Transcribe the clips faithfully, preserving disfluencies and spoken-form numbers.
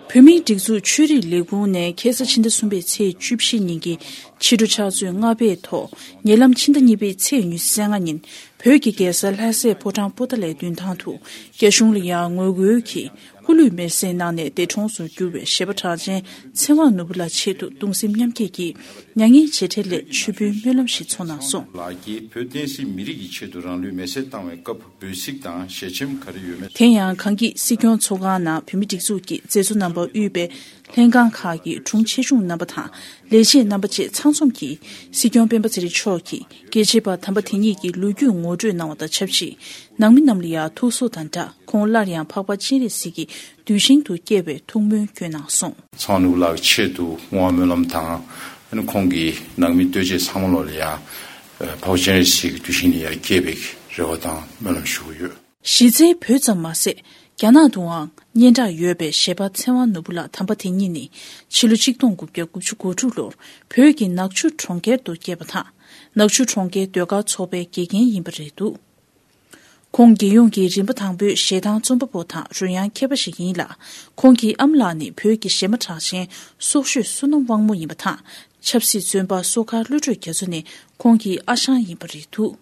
བོད་མིའི་སྒྲིག་འཛུགས་ཆོས་རིག་ལས་ཁུངས་ནས་ཁ་སང་ཕྱི་ཟླ་གསུམ་པའི་ཚེས་བཅུ་བཞི་ཉིན་གྱི་ཕྱི་དྲོ་ཕྱག་ཚོད་ལྔ་པའི་ཐོག་ཉེ་ལམ་ཕྱི་ཟླ་གཉིས་པའི་ཚེས་ཉི་ཤུ་རྩ་ལྔ་ཉིན་བོད་ཀྱི་རྒྱལ་ས་ལྷ་སའི་ཕོ་བྲང་པོ་ཏཱ་ལའི་མདུན་ཐང་དུ་རྒྱ་གཞུང་ལ་ཡང་ངོ་རྒོལ་གྱིས་སྐུ་ལུས་མེར་སྲེག་གནང་ནས་འདས་གྲོངས་སུ་གྱུར་བའི་གཞས་པ་གྲགས་ཅན་ཚེ་དབང་ནོར་བུ་ལགས་ཆེད་དུ་གདུང་སེམས་མཉམ་སྐྱེད་ཀྱིས་མྱ་ངན་རྗེས་དྲན་སླད་མཆོད་འབུལ་སྨོན་ལམ་ཞིག་ཚོགས་གནང་སོང་། ལགས་ཀྱིས་བོད་བསྟན་སྲིད་མི་རིགས་ཀྱི་ཆེད་དུ་རང་ལུས་མེར་སྲེག་བཏང་བའི་སྐབས་འབོད་ཚིག་དང་ཞལ་ཆེམས་ག་རེ་ཡོད་མེད། དེ་ཡང་གངས་སྐྱིད་སྲིད་སྐྱོང་ཚོགས་ཁང་ནང་བོད་མིའི་སྒྲིག་འཛུགས་ཀྱི་མཛད་གཙོ་རྣམ་པ་དབུས་པའི་ལྷན་ཁང་ཁག་གི་དྲུང་ཆེ་ཆུང་རྣམ་པ་དང་ལས་བྱེད་རྣམ་པ་བཅས་ཚང་འཛོམས་ཀྱིས་སྲིད་སྐྱོང་སྤེན་པ་ཚེ་རིང་མཆོག་གིས་རྒྱལ་གཅེས་པ་དམ་པ་དེ་ཉིད་ཀྱི་ལོ་རྒྱུས་ངོ་སྤྲོད་གནང་བ་དང་ཆབས་ཅིག་ནང་མི་རྣམས་ལ་ཡང་ཐུགས་གསོ་དང་སྦྲགས་ཁོང་སླར་ཡང་འཕགས་པ་སྤྱན་རས་གཟིགས་ཀྱི་གདུལ་ཞིང་དུ་སྐྱེ་བའི་ཐུགས་སྨོན་བསྐྱོན་གནང་སོང་། ཚེ་དབང་ནོར་བུ་ལགས་ཆེད་དུ་བསྔོ་བ་སྨོན་ལམ་དང་ཁོང་གི་ནང་མི་ལྟོས་བཅས་ཚང་མ་ལོ་ལ་ཡང་འཕགས་པ་སྤྱན་རས་གཟིགས་ཀྱི་གདུལ་ཞིང་ལ་ཡང་སྐྱེ་བའི་རེ་བ་དང་སྨོན་ལམ་ཞུ་གི་ཡོད། གཞི་རྩའི་བོད་ཙམ་མ་ཟད། རྒྱ་ནག་ཏུའང་སྙན་གྲགས་ཡོད་པའི་གཞས་པ་ཚེ་དབང་ནོར་བུ་ལགས་དམ་པ་དེ་ཉིད་ནི་ཕྱི་ལོ་ཆིག་སྟོང་དགུ་བརྒྱ་དགུ་བཅུ་གོ་དྲུག་ལོར་བོད་ཀྱི་ནག་ཆུ་གྲོང་ཁྱེར་དུ་སྐྱེས་པ་དང་། ནག་ཆུ་གྲོང་ཁྱེར་ཟློས་གར་ཚོགས་པའི་དགེ་རྒན་ཡིན་པ་རེད་འདུག་ཁོང་རྒྱལ་ཡོངས་ཀྱི་རིམ་པ་དང་པོའི་གཞས་གཏང་རྩོམ་པ་པོ་དང་རོལ་དབྱངས་མཁས་པ་ཞིག་ཡིན་ལ། ཁོང་གི་ཨ་མ་ལགས་ནི་བོད་ཀྱི་གཞས་མ་གྲགས་ཅན་སྲོག་ཤོས་བསོད་ནམས་དབང་མོ་ཡིན་པ་དང་། ཆབ་སྲིད་བཙོན་པ་བསོད་དཀར་བློ་གྲོས་རྒྱ་མཚོ་ནི་ཁོང་གི་ཨ་ཞང་ཡིན་པ་རེད་འདུག་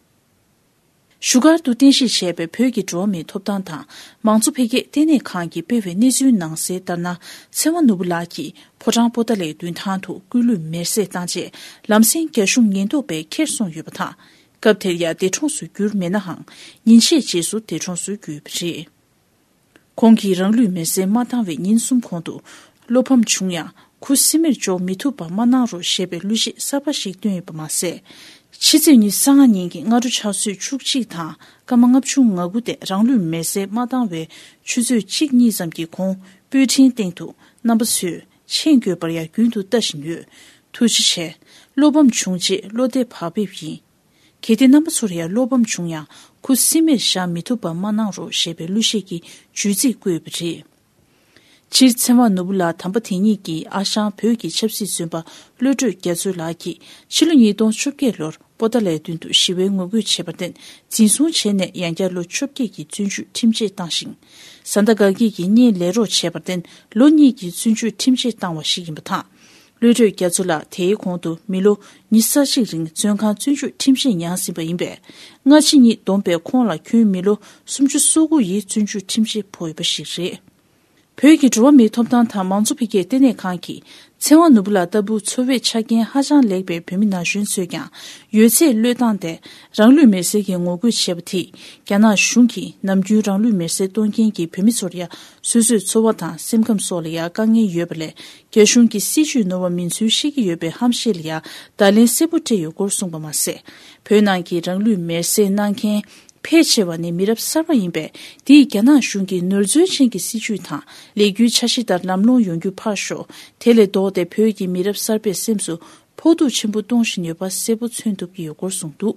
བཞུགས་སྒར་དུ་རྟེན་གཞི་བྱས་པའི་བོད་ཀྱི་འགྲོ་བ་མིའི་ཐོབ་ཐང་དང་མང་གཙོ་འཕེལ་རྒྱས་ལྟེ་གནས་ཁང་གིས་སྤེལ་བའི་གནས་ཚུལ་ནང་གསལ་ལྟར་ན། ཚེ་དབང་ནོར་བུ་ལགས་ཀྱིས་ཕོ་བྲང་པོ་ཏཱ་ལའི་མདུན་ཐང་དུ་སྐུ་ལུས་མེར་སྲེག་བཏང་རྗེས་ལམ་སེང་རྒྱ་གཞུང་ཉེན་རྟོག་པས་ཁྱེར་སོང་ཡོད་པ་དང་། སྐབས་དེར་ཡང་འདས་གྲོངས་སུ་གྱུར་མེད་ནའང་ཉིན་ཤས་རྗེས་སུ་འདས་གྲོངས་སུ་གྱུར་ཡོད་པ་རེད། ཁོང་གིས་རང་ལུས་མེར་སྲེག་མ་བཏང་བའི་ཉིན་གསུམ་གོང་དུ་བློ་ཕམ་བྱུང་ཡང་ཁུ་སིམ་མེར་འཇོག་མི་ཐུབ་པ་མ་གནང་རོགས་ཞེས་པའི་གླུ་གཞས་གསར་པ་ཞིག་བཏོན་ཡོད་པ་མ་ཟད། ཕྱི་ཚེས་ཉི་ཤུ་རྩ་ལྔ་ཉིན་གྱི་སྔ་དྲོ་ཕྱག་ཚོད་བཅུ་གཅིག་དང་སྐར་མ་ལྔ་བཅུ་ང་དགུ་སྟེང་རང་ལུས་མེར་སྲེག་མ་བཏང་བའི་ཆུ་ཚོད་གཅིག་གཉིས་ཙམ་གྱི་གོང་པོད་འཕྲིན་སྟེང་དུ་རྣམ་པ་ཚོས་མཆན་འགོད་པར་ཡང་རྒྱུན་དུ་ལྟ་བཞིན་ཡོད། ཐུགས་རྗེ་ཆེ། བློ་ཕམ་བྱུང་རྗེས་བློ་བདེ་བག་ཕེབས་ཡིན། གལ་ཏེ་རྣམ་པ་ཚོར་ཡང་བློ་ཕམ་བྱུང་ཡང་ཁུ་སིམ་མེར་བཞག་མི་ཐུབ་པ་མ་གནང་རོགས་ཞེས་པའི་གླུ་གཞས་ཀྱི་བརྗོད་ཚིག་བཀོད་ཡོད་པ་རེད། སྤྱིར་ཚེ་དབང་ནོར་བུ་ལགས་དམ་པ་དེ་ཉིད་ཀྱི་ཨ་ཞང་བོད་ཀྱི་ཆབ་སྲིད་བཙོན་པ་བློ་གྲོས་རྒྱ་མཚོ་ལགས་ཀྱིས་ཕྱི་ལོ་ཉིས་སྟོང་བཅོ་བརྒྱད་ལོར་པོ་ཏཱ་ལའི་མདུན་དུ་ཞི་བའི་ངོ་རྒོལ་བྱས་པར་བརྟེན་འཛིན་བཟུང་བྱས་ནས་ཡང་བསྐྱར་ལོ་བཅོ་བརྒྱད་ཀྱི་བཙོན་འཇུག་ཁྲིམས་ཆད་བཏང་ཞིང་། བཟའ་ཟླ་དགའ་སྐྱིད་ཀྱིས་གཉེན་ལས་རོགས་བྱས་པར་བརྟེན་ལོ་གཉིས་ཀྱི་བཙོན་འཇུག་ཁྲིམས་ཆད་བཏང་བ་ཞིག་ཡིན་པ་དང་། བློ་གྲོས་རྒྱ་མཚོ་ལགས་དེའི་གོང་དུ་མི་ལོ་ཉི་ཤུ་རྩ་གཅིག་རིང་བཙོན་ཁང་བཙོན་འཇུག་ཁྲིམས་ཆད་མྱངས་ཟིན་པ་ཡིན་པས། སྔ་ཕྱི་གཉིས་བསྡོམས་པས་ཁོང་ལ་ཁྱོན་མི་ལོ་སུམ་ཅུ་སོ་དགུ་ཡི་བཙོན་འཇུག་ཁྲིམས་ཆད་ཕོག་ཡོད་པ་ཞིག་རེད། བོད་ཀྱི་འགྲོ་བ་མིའི་ཐོབ་ཐང་དང་མང་གཙོ་འཕེལ་རྒྱས་ལྟེ་གནས་ཁང་གིས་ཚེ་དབང་ནོར་བུ་ལགས་ལྟ་བུ་འཚོ་བའི་ཆ་རྐྱེན་ཧ་ཅང་ལེགས་པའི་བོད་མི་ན་གཞོན་ཚོས་ཀྱང་ཡོད་ཚད་བློས་བཏང་སྟེ་རང་ལུས་མེར་སྲེག་གི་ངོ་རྒོལ་བྱས་པ་དེས་རྒྱ་ནག་གཞུང་གིས་ནམ་རྒྱུན་རང་ལུས་མེར་སྲེག་གཏོང་མཁན་གྱི་བོད་མི་ཚོར་ཡང་སོ་སོའི་འཚོ་བ་དང་སེམས་ཁམས་སོགས་ལ་ཡང་དཀའ་ངལ་ཡོད་པ་ལས། རྒྱ་གཞུང་གི་སྲིད་བྱུས་ནོར་བ་མིན་ཚུལ་ཤེས་ཀྱི་ཡོད་པའི་ཧམ་བཤད་ལ་ཡང་བརྡ་ལན་གསལ་པོ་སྤྲད་ཡོད་སྐོར་གསུངས་པ་མ་ཟད། བོད་ནང་གི་རང་ལུས་མེར་སྲེག་གནང་མཁན་ཕལ་ཆེ་བ་ནི་མི་རབས་གསར་པ་ཡིན་པས། འདིས་རྒྱ་ནག་གཞུང་གི་ནོར་འཛོལ་ཅན་གྱི་སྲིད་བྱུས་དང་ལས་འགུལ་འཆར་གཞི་ལྟར་ལམ་ལྷོང་ཡོང་རྒྱུ་ཕར་ཞོག་དེ་ལས་ལྡོག་སྟེ་བོད་ཀྱི་མི་རབས་གསར་པའི་སེམས་སུ་ཕོག་ཐུག་ཆེན་པོ་གཏོང་བཞིན་ཡོད་པ་གསལ་པོ་མཚོན་ཐུབ་ཀྱི་ཡོད་སྐོར་གསུངས་འདུག་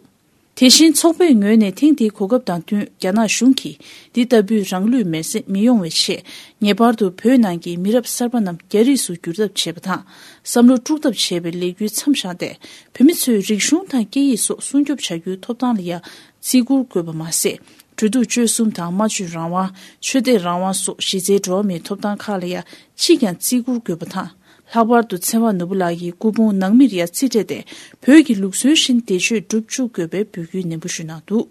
དེ་བཞིན་ཚོགས་པའི་ངོས་ནས་ཐེངས་འདིའི་གོ་སྐབས་དང་བསྟུན་རྒྱ་ནག་གཞུང་གིས་འདི་ལྟ་བུའི་རང་ལུས་མེར་སྲེག་མི་ཡོང་བའི་ཆེད་ངེས་པར་དུ་བོད་ནང་གི་མི་རབས་གསར་པ་རྣམས་རྒྱ་རིགས་སུ་བསྒྱུར་ཐབས་བྱེད་པ་དང་། བསམ་བློ་དཀྲུག་ཐབས་བྱེད་པའི་ལས་འགུལ་མཚམས་བཞག་སྟེ། བོད་མི་ཚོའི་རིག་གཞུང་དང་སྐད་ཡིག་སོགས་སྲུང་སྐྱོབ་བྱ་རྒྱུའི་ཐོབ་ཐང་ལ་ཡང་བརྩི་བཀུར་དགོས་པ་མ་ཟད། འགྲོ་འདུག་སྤྱོད་གསུམ་དང་སྨྲ་བརྗོད་རང་དབང་། ཆོས་དད་རང་དབང་སོགས་གཞི་རྩའི་འགྲོ་བ་མིའི་ཐོབ་ཐང་ཁག་ལ་ཡང་ཅིས་ཀྱང་བརྩི་བཀུར་དགོས་པ་དང་། ལྷག་པར་དུ་ཚེ་དབང་ནོར་བུ་ལགས་ཀྱི་སྐུ་ཕུང་ནང་མིར་ཡང་རྩིས་སྤྲད་དེ། བོད་ཀྱི་ལུགས་སྲོལ་བཞིན་བདེ་མཆོད་སྒྲུབ་བཅུག་དགོས་པའི་འབོད་སྐུལ་ནན་པོ་ཞུས་གནང་འདུག